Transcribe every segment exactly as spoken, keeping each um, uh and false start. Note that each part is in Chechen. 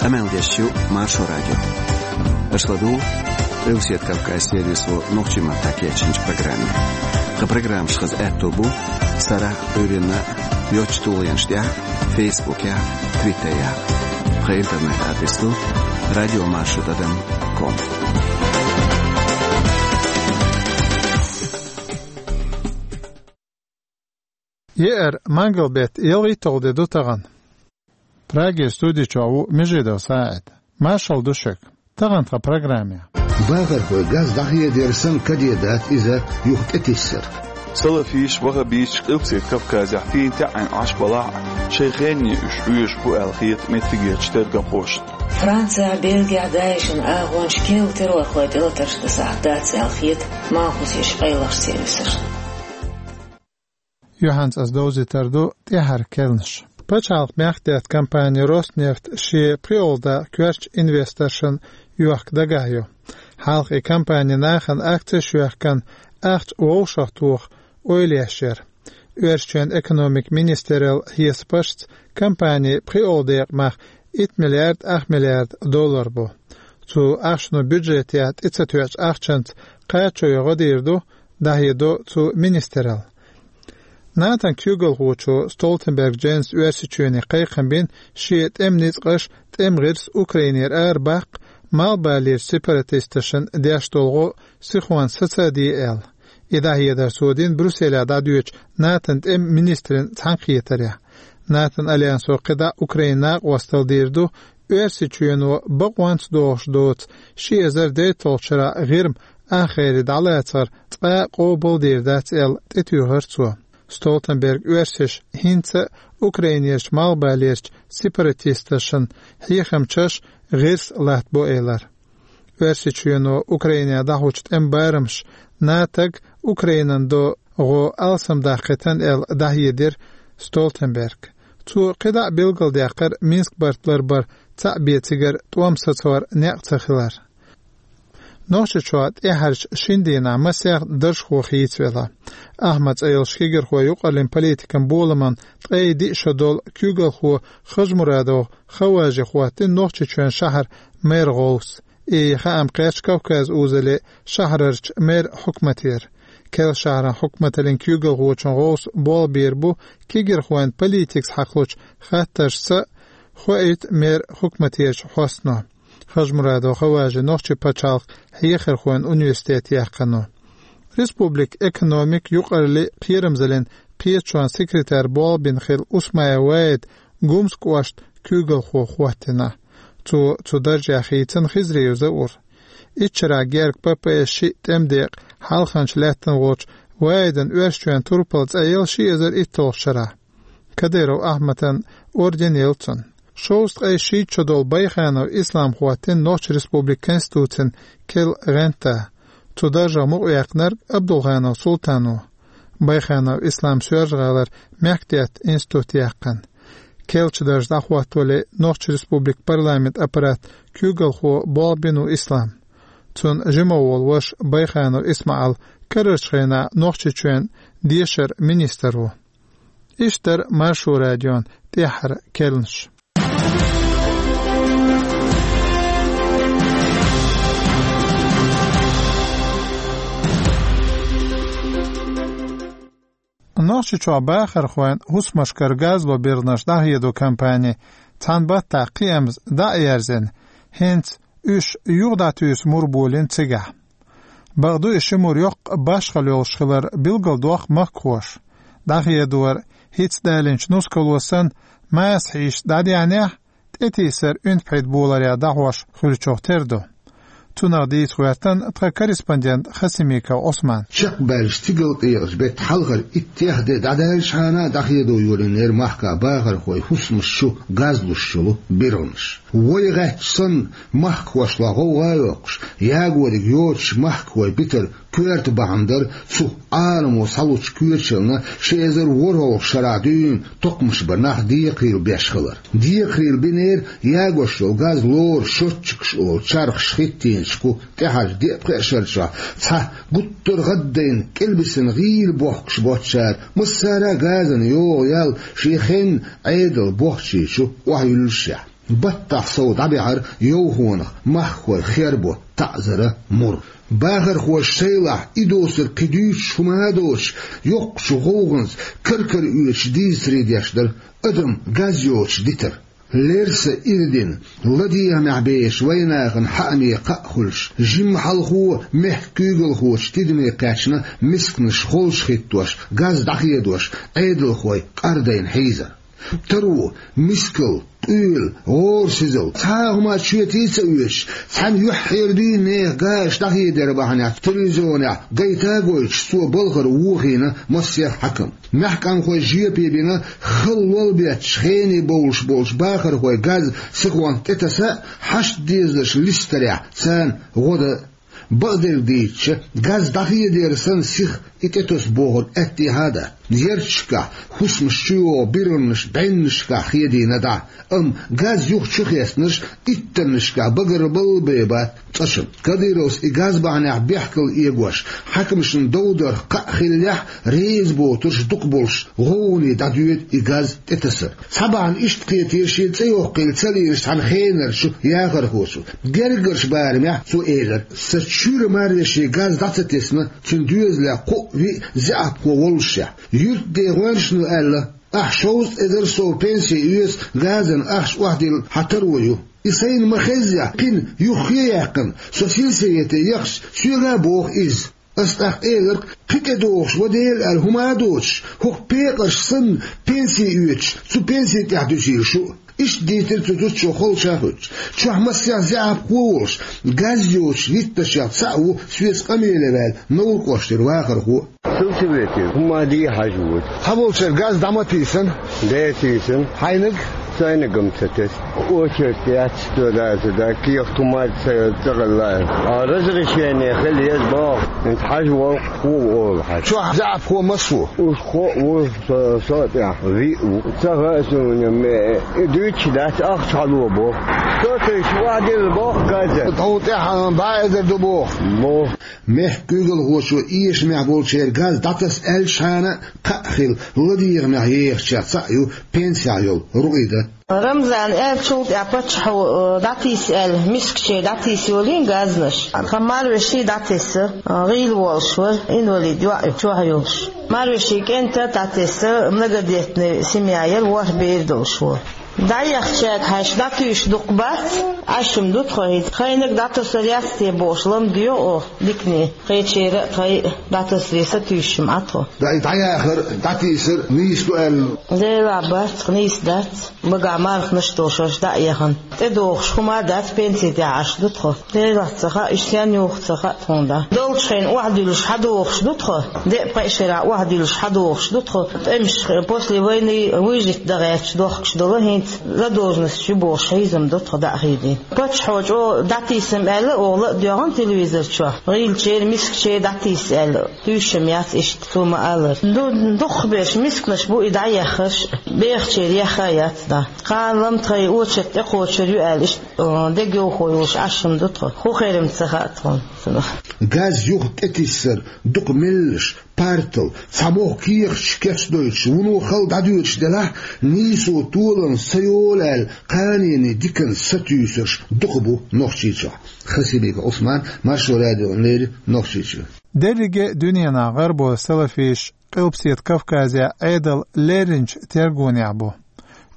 Къамел деш ю Маршо радио. Аша ладугӀу Къилбаседа Кавказан сервисо нохчийн маттахь кечйинчу программе. Тхан программаш хаза аьтто бу сарахь а, Ӏуьйранна а йоцачу тулгӀенаш тӀехь а, Фейсбукехь а, Твиттерехь а. Тхан интернет-адрес ду радиомаршо тӀадам ком. Еара, мангал-беттан ялхитталгӀа де ду тахана. Прагера студи чохь ву Межидов СаӀид. Маршалла ду шуьга. Тахана тхан программехь. Бахархой газ дӀахедара санна, каде дац иза юха тӀетиссар. Салафисташ, ваххабисташ Къилбаседа Кавказехь фийна тӀаьхьенна Ӏаш балахь а, шайн хенне уьш Ӏоьшуш бу аьлла хета меттигерчу тергамхошна. Францехь, Бельгехь ДАИШ-ан агӀончаш керла террорхойн тӀелатарш дасахь дац аьлла хета малхбузерчу къайлахчу сервисашна. Юьхьанца ас довзийтар ду тӀаьххьара керланаш. Пачхьалкхан мехкдаьтта компани «Роснефть» шен пхоьалгӀа дакъа коьртачу инвесторшна йохка дагахь ю. Хьалха и компани нахана акцеш а йоьхкина, ахча вовшахтоха ойла еш яра. Оьрсийчоьнан экономикан министраллан хьесапашца компанин пхоьалгӀа декъа мах итт миллиард ах миллиард доллар бу. Цу ахчано бюджетехь тӀе ца тоьхначу ахчанца кхачо йо гӀо дийр ду, дӀахьедо цу министралло. НАТОн куьйгалхочо Столтенберг Дженса Оьрсийчоьне кхайкхам бина шен тӀеман ницкъаш, тӀеман гӀирс Украинера арабаккха, малхбалерчу сепаратисташна деш долу гӀо сихонца саца а де аьлла. И дӀахьедар цо дина Брюсселехь дӀадоьдучу НАТОн тӀеман министрийн цхьаьнакхетарехь. НАТОн альянсо кхидӀа Украинан накъосталла дийр ду, Оьрсийчоьно бакъонца догӀуш доцу ши эзар дейтталгӀачу шарахь ГӀирма ахгӀайре дӀалацар цкъа а къобалдийр дац аьлла, тӀетуьйхира цо. Столтенберга оьрсаша хӀинца а Украинерчу малхбалерчу сепаратисташна хьехамчаш, гӀирс латтабо элира. Оьрсийчоьно Украинехь дӀахьочу тӀеман барамаш НАТОга Украинан до гӀо алсамдаккхийтина аьлла, дӀахьедира Столтенберга. Цо кхидӀа а билгалдаьккхира Минск барт ларбар цхьаъ бен цигара тӀом сацор некъ ца хилар. Нохчийчохь тӀаьххьарчу шина дийнахь масех даржхо хийцавелла. Ахьмад цӀе йолчу кегирхойн юкъараллин политикан боламан ткъе диъ шо долу куьйгалхо Хажмурадов Хаважи хӀоттийна Нохчийчоьнан шахьаран мэран гӀовс. И хаам кхаьчна Кавказ-Узале шахьарарчу мэран хьукматера. Керла шахьаран хьукматаллин куьйгалхочун гӀовс болх бийр бу кегирхойн политикаца хьакхалучу хаттаршца, хоуьйту мэран хьукматерчу хьостано. Хажмурадов Хаважи нохчийн пачхьалкхан хьехархойн университет яьккхина. Республикан экономикан, юкъараллин, кхерамзаллин кхеташонан секретарь болх бина хилла Усмаев Ваид Гумскан кӀоштан куьйгалхо хӀоттийна. Цо цу даржехь хийцина Хизриев Заур. Итт шарахь герга ППС шиъ тӀеман декъа хьалханча лаьттина волчу Ваидан Оьрсийчоьнан турпал цӀа елла ши эзар итталгӀачу шарахь. Кадыров Ахьмадан орден елла цунна. Шовзткъе шийтта шо долу Байханов Ислам хӀоттийна Нохчийн Республикан Конституцин керла гӀанта. Цу даржах мукъаваьккхинарг Абдулханов Султан ву. Байханов Ислам Соьлжа-ГӀалара мехкдаьтта институт яьккхина. Керлачу даржа дӀахӀоттавале Нохчийн Республикан парламентан аппаратан куьйгалхо болх бина ву Ислам. Цуьнан жима волу ваша Байханов Исмаил карарчу хенахь Нохчийчоьнан дешаран министр ву. Иштта дара Маршо радион тӀаьххьара керланаш. Нохчийчохь бахархойн хӀусамашкара газло берланаш дӀахьедо компани цхьана баттахь кхиамза дӀа а ерзийна, хӀинца уьш юха дӀатуьйсу мур болийна цигахь. Бакъду, и ши мур йоккха башхалла йолуш хилар билгалдоккху махкахоша. ДӀахьедора хӀинцца далийнчу нускало санна, масех хьийзаш дӀадаьхьнехь, тӀетийсар уьнтпхьид боларехь дӀахьош хуьлучух тера ду. Цунах дийца гӀоьртина тхан корреспондент Хасимиков Ӏусман. Чекхбаьллачу стигалкъекъачу беттан хьалхара иттех де дӀадаьллачхьана дӀахьедо йолийнера махкахь бахархойн хӀусамаш чу газлуш йолу берланаш. Вай гӀаьттича санна, махкахошлахь гӀовгӀа а йоккхуш, ягориг йоцуш махкахой битар коьрта бахьана дара цу Ӏаламо схьалучу коьчална ши эзар ворхӀалгӀачу шарахь дуьйна токхамаш бар нах декхарийла беш хилар. Декхарийла бинера ягош йолу газ лору счётчикаш олу чархаш хӀиттийначу тӀаьхьарчу деа-пхеа шарчохь цхьа гуттар а гӀаддайна кӀелбисина гӀийла бохкуш боцучара массара а газана йогӀу ял шен хенан Ӏедалан бохчийчу охьаюьллушехь. Баттахь сов дӀабаьхьар йовхонах, махкахой хербо таӀзара мур. Бахархоша шайлахь и доцург кхин дуьйцуш хӀума а доцуш, йоккхачу гӀовгӀанца кар-кара оьцуш дийцаре деш дара адам газ йоцуш дитар. Лерса ирдина, ладегӀамехь бехачу вайнахана хьааме кхаъ хуьлуш, жимма хьалхо мехкан куьйгалхочу тидаме кхаьчна мисканаш холчухӀиттош, газ дӀахедош, Ӏедалхой къардайна хьийзар. Таро, мискал, къуьйла, гӀорасизал, цхьа а хӀума чоьте ца оьцуш, цхьана юьххьера дуьйна нехан газаш дӀахедар бахьанехь телевизионехь гайта а гойтуш, цо балхара вохийна массех хьаькам. Маьхкамхой жоьпе бина, хала лол бетташ хене бовлуш болчу бахархойн газ сихонца тӀетаса а, хьашт дезарш листарехь царна гӀо дан а. Бакъдерг дийцича, газ дӀахедера санна сиха и тӀетосу бохург аьттехьа а дац. Ярташкахь, хӀусамаш чу йогӀу биргӀанаш бӀеннашкахь хедийна дӀа, амма газ юха чу хеснарш иттаннашкахь багарбалла бен бац цкъачунна. Кадыровс и газ бахьанехь бехкал эгош, хьаькамашна дов дарх кхаъ хиллехь, реза боцурш дукха болуш, гӀовгӀане дӀадоьду и газ тӀетасар. Цхьа бахьана иштта кхетира шен цӀе йоккхийла ца лийначу цхьана хенарчу яхархочо. Гергарчу барамехь цо элира: «Сан чуьра марвешин газ дӀа ца тесна, цуьнан доьзалехь кхоъ-виъ заьӀапхо воллушехь. Юьртда гӀоьнчано аьлла: „Ахь шовзткъа эзар сов пенси оьцу, газан ахча охьадилла хьан таро ю“. И сайна ма-хеззехь, кхин юххе а яьккхина, со сельсовете яхча, соьга а боху иза. Ас тӀаккха элира: „Кхин тӀедогӀуш ван Дела аьлла хӀума а доцуш, хӀокху пекъарш санна пенси оьцуш, цу пенси тӀехь дуьсийла шу а“». Иштта дийцира цу зудчо холча а хуьттуш. Чохь массех заьӀапхо а волуш, газ йоцуш витташех цхьаъ ву соьца къамеле ваьлла Невран кӀоштара вахархо а. Сельсовете хӀума де хьажа ву. Цхьаболчара газ дӀа ма тийсина? Де, тийсина. Хьайниг? Сайниг-м ца тесна. Очередь яц, цо даза да, кехат хӀума ца, ца гӀелла. А разрешение хила еза боху, хӀинца хьажа волу хӀу олу хьажа. Чохь заьӀапхо массо а? Уьш кхоъ ву, со, со тӀехь виъ ву. Ца хаьа суна, ме, и дуьйцуш дац, ахча хьало боху. Со тайша охьадилла боху газа. Тхьуна тӀехь бӀе эзар ду боху. Боху. Мехкан куьйгалхочо эшамехь болчеран газ дӀатаса аьллачхьана а кхаъ хилла, ладегӀамехь ехачех цхьаъ ю пенсехь йолу Рукъида. Рамзана аьллачул тӀаьхьа паччахьо, э, дӀатийса аьлла, мискаче дӀатийса йолийна газнаш. Тхан марвеши дӀатесса, э, гӀийла волуш вара, инвалид йоӀ ю, чохь йолуш. Марвешин кӀентан а дӀатесса, многодетная семья яра, ворхӀ бер долуш вара. ДӀаехчаьрга хьаьжча, дӀатуьйсуш дукха бац, Ӏаш-м ду тхо хӀинца. Хениг дӀатосур яц те бохуш, ламдоьху оха дикане. Кхечеран а, тхайн а дӀатасаре сатуьйсуш-м Ӏа тхо. ДӀа-, дӀаяхар, дӀатийсар нийса ду аьлла. Делахь бац, нийса дац. Багахь марханаш а долуш дӀа а яхана. ТӀедогӀуш хӀума а дац, пенси тӀехь Ӏаш ду тхо. Делахь ца хаьа, уьш стенна юху ца хаьа тхуна дӀа. Долчу хенахь охьадуьллуш хьадогӀуш ду тхо, деа-пхеа шарахь охьадуьллуш хьадогӀуш ду тхо. ТӀемаш после войны выжить дан гӀерташ дохкуш долу, хӀинца задолженность ю бохуш хьийзам ду тхо дӀа а хьийзийна. Паччахьо чӀогӀа дӀатийсам аьлла, оха ла а доьгӀна телевизор чохь. ГӀийлачеран, мискачеран дӀатийса аьлла, туьйсуш-м яц иштта, цо ма-аллара. Ду-, дукхахберш мисканаш бу и дӀаеххарш, бехачеран ехха а яц дӀа. Кхана-м тхайн очередь тӀекхочур ю аьлла, иштта, э, дегайовхо йолуш Ӏаш-м ду тхо. ХӀун хир-м ца хаьа тхуна цунах. Газ юха тӀетиссар дукха меллаша, партал, цхьа могӀа кехаташ кечдойтуш, вуно хала дӀадоьдуш делахь, нийсо толам ца йолу аьлла, кханенан диканца сатуьйсурш дукха бу Нохчийчохь. Хасимиков Ӏусман, Маршо радиона леррина, Нохчийчоь. Дерриге а дуьненахь гӀарабойн салафисташ Къилбаседа Кавказехь Ӏедал лерринчу тергонехь бу.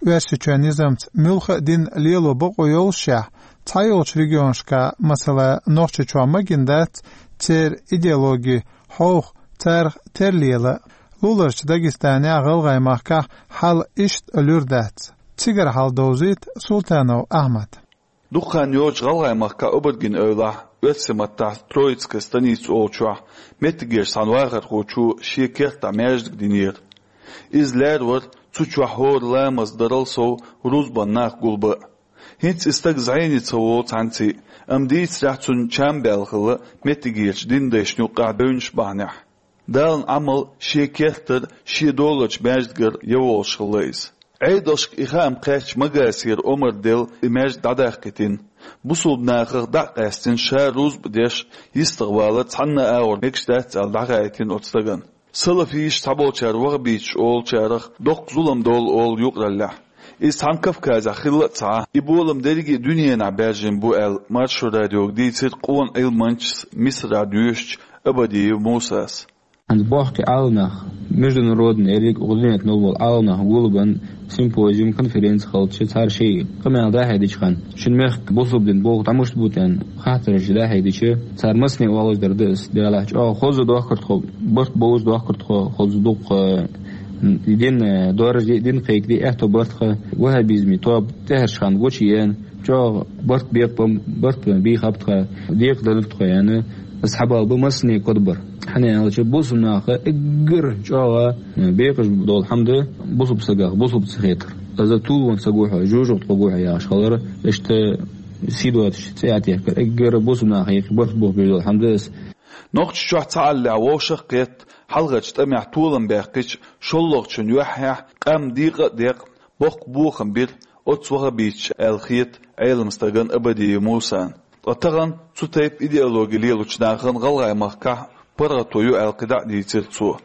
Оьрсийчоьнан низамца муьлхха а дин лело бакъо йоллушехь, цхьайолчу регионашкахь, масала, Нохчийчохь ма гина дац церан идеологи хьовха, царах тера лела. Луларчу Дагестанехь, ГӀалгӀай махкахь хьал иштта луьра дац. Цигара хьал довзуьйту Султанов Ахьмада. Дукха хан йоцуш ГӀалгӀай махкахь обарган эвлахь, оьрсийн маттахь Троицкая станица олучохь, меттигерчу цхьана вахархочо шен кертахь маьждиг динера. Иза лаьрра вара цу чохь хӀора ламаз дарал сов рузбан нах гулбан а. ХӀинца и стаг зӀене ца волу цхьаьнций, амма дийцарехь, цуьнан чам баьлла хилла меттигерчу динан дайшна юккъехь девнаш бахьанехь. Далан Ӏамал шен кертара, шен доларчу маьждигара ян волуш хилла иза. Ӏедалшка и хаам кхаьчча, Магасера Омара делла и маьждиг дӀадаккхийтина. Бусулба нахах дӀа а къаьстина, ша рузба деш, йистехвалар цхьанна а агӀор мегаш дац аьлла, дӀахаийтина оцу стагана. Салафисташ цхьаболчара ваххабиташ олучарах доккха зулам долу олу юкъараллехь. Иза цхьана Кавказехь хилла а ца Ӏа, и болам дерриге а дуьненахь баьржина бу аьлла, Маршо радиога дийцира къона Ӏилманчас, Мисарахь доьшучу Абадиев Мусас. ХӀинца бохки Ӏаламнах, международный, ерриг а гӀо динет нолвол Ӏаламнах гулбан симпозиум, конференция хилча, цара шайн къамел дӀахьедича хан, шун мехка бусулба дин болх дӀа муш бу тӀен хаттараш дӀахьедича, цара массане оалаш дар да ас, делахь чӀогӀа хоза дохкар тхо, барт болуш дохкар тхо, хоза дукха, м, дин, э, дораж де, дин кхайкаде, аьтто барт ха, ваххабизми тоба тӀаьхьарш хан гучу еана, чӀогӀа барт бекъам, барт бийхаб тха, декъа далур тхо яна, ас хьабал бу массане кодбар. Хьана аьлча, бусулба наха эггара чӀогӀа, э, бекъаш долу хьама да бусулба сагах, бусулба ца хетар. Аза тулван ца гу хьо, жожагӀа тхо гу хьо яхаш хилар, иштта сидоцаш цӀе а теккар, эггара бусулба наха еккъа барт боху беш долу хьама да ас. Нохчийчохь цхьааллехь вовшах а кхетта, хьалхарчу тӀамехь толам баьккхича, шоллагӀчун юьххьехь къам декъа а декъна, боккха бохам бира оцу ваххабиташа аьлла хета Ӏелам стагана Абадиев Мусана. Ткъа тахана цу тайпа идеологи лелочу нахана ГӀалгӀай махкахь паргӀато ю аьлла кхидӀа а дийцира цо.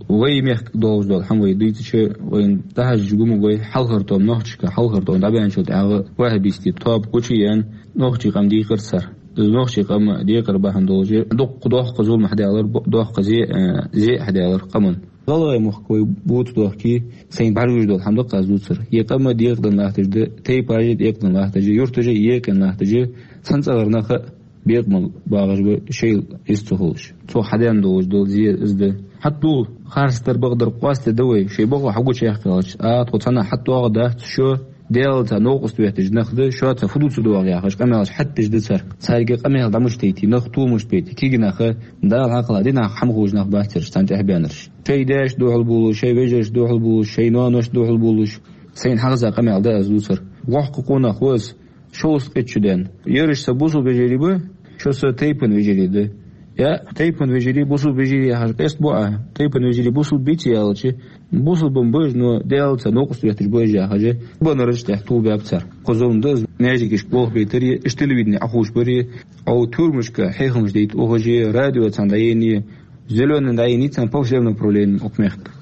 Вай мехка долуш долу хьама вай дуьйцуча, вайна дӀахьажча гума вай хьалхара тӀом нохчашка, хьалхара тӀом дӀабаьнначул тӀаьхьа ваххабистийн тоба гучу а еана, нохчийн къам дийкъира цара. Иза нохчийн къам декъар бахьана долуш, дуккха доккха зулам хьадаьллар, бо-, доккха зе, э, зе а хьадаьллар къаман. ГӀалгӀай мохк вай буца дохкий, сайна бӀаьргаш долу хьама даккха аз дуцар. Я къам а декъадан латташ да, тайпаш а декъадан латташ да, юрташ а екъина латташ да, цхьана цӀагӀара нах а бекъамал багӀаш ба, шайла иза ца хуьлуш. Цо хьадеана долуш долу зе иза да. Хьатта дугӀу, харцдар, бакъдар къоастаде да вай, шайн бакъо хьагучу яьккхи аьлча, а, тхо цхьанна хьатта догӀу дац, шо Делаца новкъост ветташ нах да, шоца фу ду ца догӀу яхаш, къамелаш хьатташ да цара. Цаьрга къамел дӀа муш дайти, нах ту муш бейти, кегий наха, Дала хьакхала, динах хьама хуьлуш нах бац цаьраш цхьаьна тӀехбаьннарш. Шайн дайшна дуьхьал болуш, шайн вежаршна дуьхьал болуш, шайн ноаношна дуьхьал болуш, сайна хьагӀаза къамел да аз дуцар. Воккха къонах ву ас, шовзткъе итт шу даьнна. Ераш сан бусулба вежарий ба, шо сан тайпан вежарий да. Я, тайпан вежарий, бусулба вежарий яхаш къест бу а, тайпан вежарий бусулба бийца яьлча, бусулба бан бажа, но Делаца новкъост ветташ бажа яхаш, банараш тӀехь тул баьб цара. Кхо зулам да, маьждигашка болх бейтаре, иш телевидение Ӏахуш баре, Ӏо тюрмашка хьехамаш дайта ухаже, радио цхьана дӀаене, зелёный дӀаене цхьана по всем направлениям окху мехка.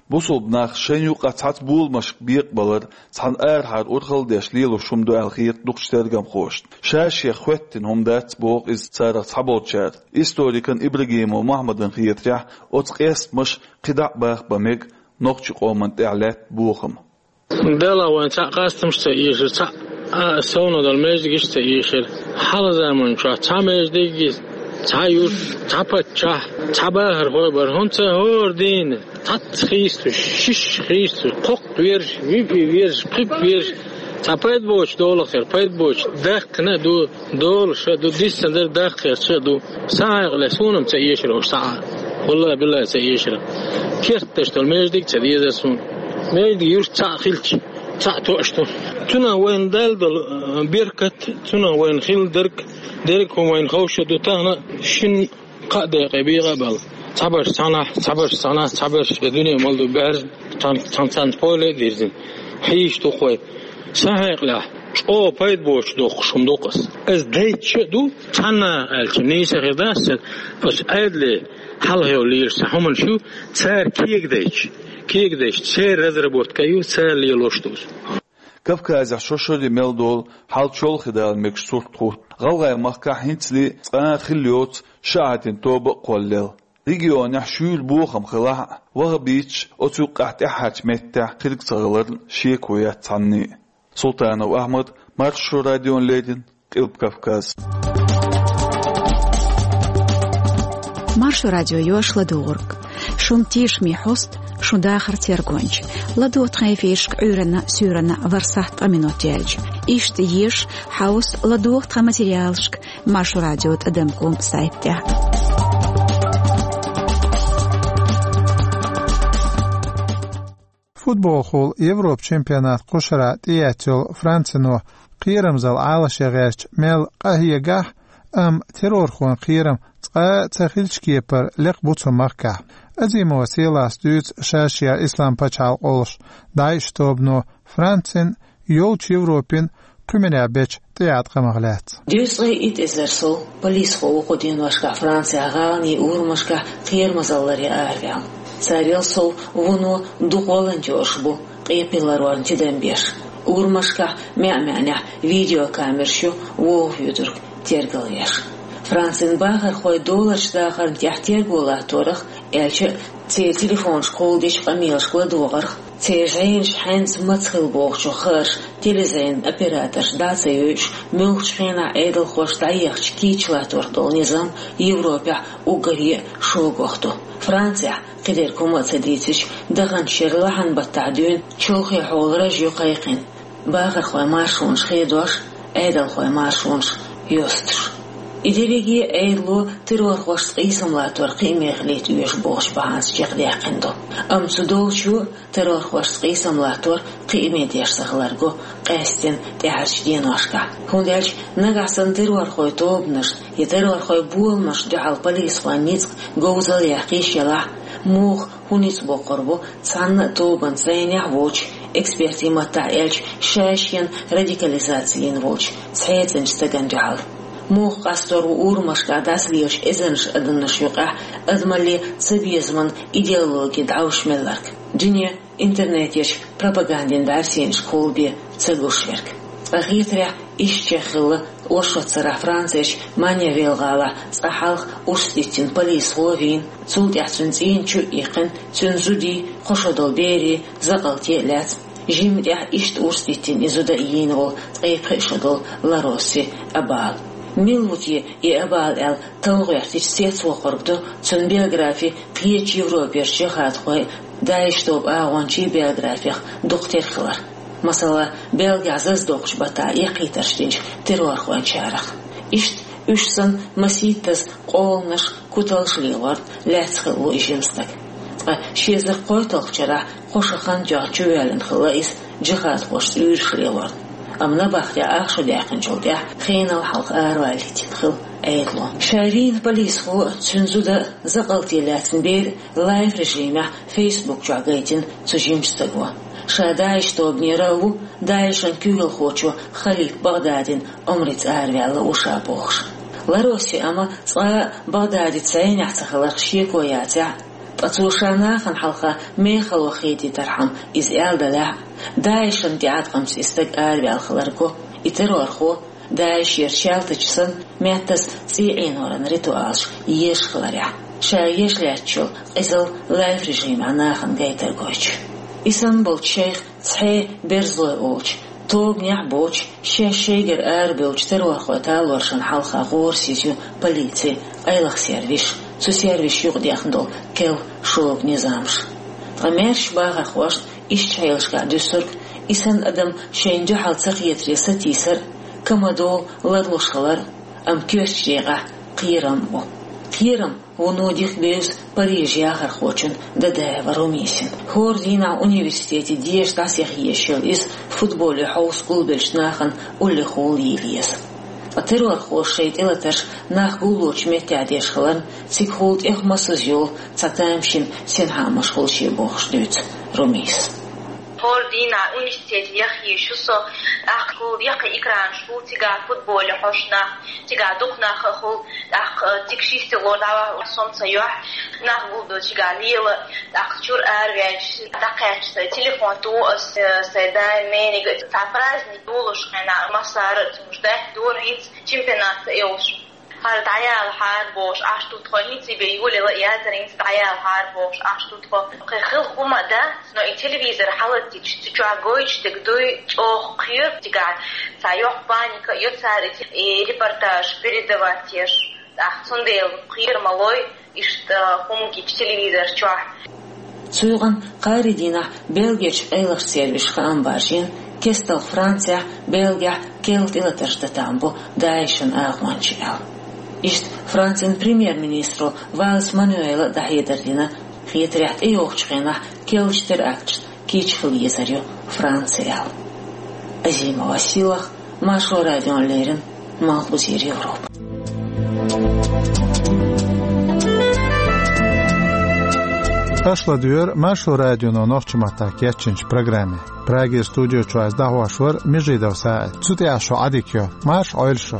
Бусулба нах шайн юкъа цхьацца боламашка бекъабалар, цхьана арахьара урхалла деш лелош хӀума ду аьлла хета дукхачу тергамхошна. Ша-шех хӀоьттина хӀума дац, боху иза царах цхьаболчара. Историкан Ибрагимов Мухьаммадан хетарехь, оцу къестамаша кхидӀа а баха бан мега нохчийн къоман тӀехь лаьтта бохам. Дала вайн цхьаъ къастамаш ца ийшира, цхьаъ а совнадала маьждигаш ца ийшира. Хьалха заманчохь цхьа маьждиг, цхьа юрт, цхьа паччахь, цхьа бахархой бара, хӀунда ца хӀора дийна? Цхьацца хийсташ, шиш хийсташ, кхоккха верш, випи верш, пхипа верш, цхьа пайда боцуш долахь хир, пайда боцуш даккхина а ду, долуш а ду, диссан дара даккхарца а ду. Сан хьекъале суна-м ца эшира уьш цхьа а. Валлахи, биллахи, ца эшира. Кертташ долу маьждиг ца дезара суна. Маьждиг юрт цхьаъ хилча, цхьаъ тоъаш ду. Цунах вайна Дала долу, э, беркат, цунах вайна хилла дерг, дерриг а хӀума вайна ховша ду тахана, шин кхаа декъе бийгӀа а бала. Цхьабарш цхьанахь, цхьабарш цхьанахь, цхьабарш я дуьне мала ду баьржа, цхьан-, цхьан-, цхьаьна поле а дирзина. Хьийша ду-кх вай. Сан хьекъалехь, чӀогӀа пайда боцуш доккхуш хӀума ду-кх ас. Ас дайча а ду, цхьанна аьлча, нийса хир дац сан, ас Ӏедале хьалха йолу лелаш сан хӀуманаш ю, цара кегадайча, кегадайча, церан разработка ю, цара лелош ду ас. Кавказехь шо-шоре мел долу хьал чолхе дала мегаш сурт хӀутту. ГӀалгӀай махкахь хӀинцале цкъа а хилла йоцу шиӀатийн тоба а кхоллаелла. Регионехь шуьйра бохам хилахь а, ваххабиташ оцу юккъехь тӀаьххьарчу меттехь кхерг ца хиларна шеко яц цхьанне а. Султанов Ахьмад, Маршо радиона леррина, Къилба Кавказ. Маршо радио йош ладугӀург. Шун тешаме хьост, шун дахар тергонча. ЛадугӀа тхан эфиршка Ӏуьйранна, суьйранна ворхӀ сахьт ткъа минот яьлча. Иштта еша, хьовса, ладугӀа тхан материалашка Маршо радио тӀадам ком сайт тӀехь. Футболхула Европа чемпионат кхушара тӀеэцна йолу Францино кхерамзалла Ӏалашъян гӀерташ мел къахьегахь а, амма террорхойн кхерам цкъа а ца хиллачу кепара лекха бу цу махкахь. Азимова Селас дуьйцу ша-шех Ислам пачхьалкх олуш, ДАИШ тобано Францин, йолчу Европин кхуьманехь бечу тӀеӀаткъамах лаьцна. Дезткъе итт эзар сов полисхо ву кху деношкахь Францехь гӀаланийн урамашкахь кхерамзалларе араваьлла. Царел сов вуно дукха волонтёраш бу, къепе ларорна тидам беш. Урамашкахь маьӀ-маьӀнехь видеокамераш ю вовхӀ вуьйцург тергалвеш. Францин бахархой доларчу дахарна тӀехь терго латторах, аьлча а, церан телефонашкахула дечу къамелашка ладогӀарх, церан жӀенаш хьаьнца маца хилла бохучух хаарш телезренин операторша дӀа а ца йойуш, муьлххачу хенахь Ӏедалхоша дӀаехачу кийча латторах долу низам Европехь уггаре а шогах ду. Францехь, кхидерг хӀума а ца дийцича, даханчу шеран лахьан-баттахь дуьйна чолхе хьолан раж ю кхайкхина, бахархойн маршонаш хедош, Ӏедалхойн маршонаш йостуш. И дерриге а Ӏедало террорхошца къийсам латтор кхиаме хилийта оьшу бохучу бахьанца чекхдаьккхина ду. Амма цу долчо террорхошца къийсам латтор кхиаме деш ца хилар го къаьсттина тӀаьхьарчу деношкахь. ХӀунда аьлча нагахь санна террорхойн тобанашна я террорхойн боламашна дуьхьал полисхойн ницкъ говзалла яккхийш елахь, муха хӀун ницкъ боккхур бу цхьанна а тобанца зӀенехь а воцуш, экспертийн маттахь аьлча, ша-шена радикализаци йина волчу цхьаьцначу стагана дуьхьал? Муха къастор ву урамашкахь дӀасалелачу эзарнаш адамнаш юкъахь адамалле цабезаман идеологи дӀовш мелларг? Дуьне интернетехь пропагандин бӀаьрсенашка хӀуллам бен ца гуш верг. Ткъа хетарехь, иштта чекхъелла оршот царахь Францерчу Манья-Вел гӀалахь цкъа хьалха урс диттина полисхо а вийна, цул тӀаьхьа цуьнан цӀийнан чу а иккхина, цуьнан зудий, кхо шо долу берий закъалте а лаьцна. Жимма тӀехь иштта урс диттина и зуда а йийна волу ткъе пхи шо долу Лароси Абал. Мила ву те и Абал аьлла талла гӀоьртича, цецвоккхург ду цуьнан биографи кхечу Европерчу жихӀадхойн, ДАИШ тобан агӀончийн биографех дукха тера хилар. Масала, Бельгехь зазадоккхучу баттахь эккхийтарш динчу террорхойн чарах. Иштта уьш санна масийттаза къоланаш, куталш лелорна лаьцна хилла ву и жима стаг. Ткъа ши эзар кхойтталгӀачу шарахь кхо шо хан тоьхна чувоьллина хилла иза, жихӀадхошца уьйраш лелорна. Амма набахтехь ах шо даьккхинчул тӀаьхьа хенал хьалха араваьлла йитина хилла Ӏедало. Ша вийна полисхо а, цуьнан зуда а, закъалте лаьцна бер а лайв режимехь Facebook чохь гайтина цу жимачу стаго. Ша ДАИШ тобанера а ву, ДАИШан куьйгалхочо Халид Багъдадин омрица араваьлла ву ша бохуш. Лароси Абал цкъа а Багъдадица зӀенехь ца хиларх шеко яцахь а, ткъа цо ша нахана хьалха мехала ваха хетийтархьама иза аьлла делахь а, ДАИШан тӀеӀаткъамца и стаг араваьлла хилар го, и террорхо, ДАИШера чалтача санна, меттаза цӀий Ӏеноран ритуалаш езаш хиларехь, ша еш лаьтташ йолу къизалла лайв режимехь нахана гайтар гойтуш. И санна болчу шайх цхьа а берзалой олучу, тобанехь а боцуш, шаьш шайгара арабевллачу террорхойн талоршна хьалха гӀорасиз ю полици, къайлаха сервисаш, цу сервисашна юкъадехна долу керла шога низамаш. Ткъа маьршачу бахархошна иштта хьелашкахь дуьсург, и санна адам шайна дуьхьал ца хетаре сатийсар а, камадолу ларлуш хилар а, амма коьртачу декъехь кхерам а бу. Кхерам вуно дика бевза Парижан яхархочун Дадаева Румисин. ХӀора дийнахь университете деша дӀасаяха езаш йолу иза футболе хьовса гулбеллачу нахана уллехула йийла еза. Ткъа террорхоша шайн тӀелатарш нах гуллучу меттехь деш хиларна, цигахула тӀех массаза йолу цхьа тамашийна синхьаамаш хуьлу шен бохуш дуьйцу Румис. ХӀора дийнахь университете яха езаш ву со, тӀаккха гул яккхий экранаш хуьлу, цигахь футболе хьожуш нах, цигахь дукха нах а хуьлу, тӀаккха цига ши стело дӀавахана со-м ца йохьу, нах гулбелла цигахь лела, тӀаккха чуьра араваьлча, дӀакхаьчча сайн телефон туху аса, э, сайн дай, мениг, цхьа праздник долуш хенахь массара а цунаш даьхьа дора хӀинца чемпионат ца йолуш. ХӀара дӀаялахьара бохуш Ӏаш ду тхо, хӀинца и бен йолаелла а яцара, хӀинца дӀаялахьара бохуш Ӏаш ду тхо. Кхин хила хӀума а дац, но и телевизор хьалаттича, цу чохь гойтуш дерг дуй, чӀогӀа кхоьру цигахь, цхьа йоккха паника а йо цара и, и репортаж передавать еш. ТӀаккха цундела кхера ма лой иштта хӀума гича телевизор чохь. Цу юкъана кхаарин дийнахь Бельгерчу къайлахчу сервисаша хаам баржийна, кестта Францехь, Бельгехь керла тӀелатарш дан там бу ДАИШан агӀончий аьлла. Иштта Францин премьер-министро Валес Мануэла дӀахьедар дина, хетарехь тӀейогӀучу хенахь керлачу теракташна кийча хила езар ю Франци аьлла. Азима Василах, Маршо радиона леррина, Малхбузера Европа. Аша ладуьйгӀира Маршо радионо нохчийн маттахь кечйинчу программе. Прагера студи чуьра дӀахьош вара Межидов СаӀид. Цу тӀехь шун Ӏадика йо. Марша Ӏойла шу.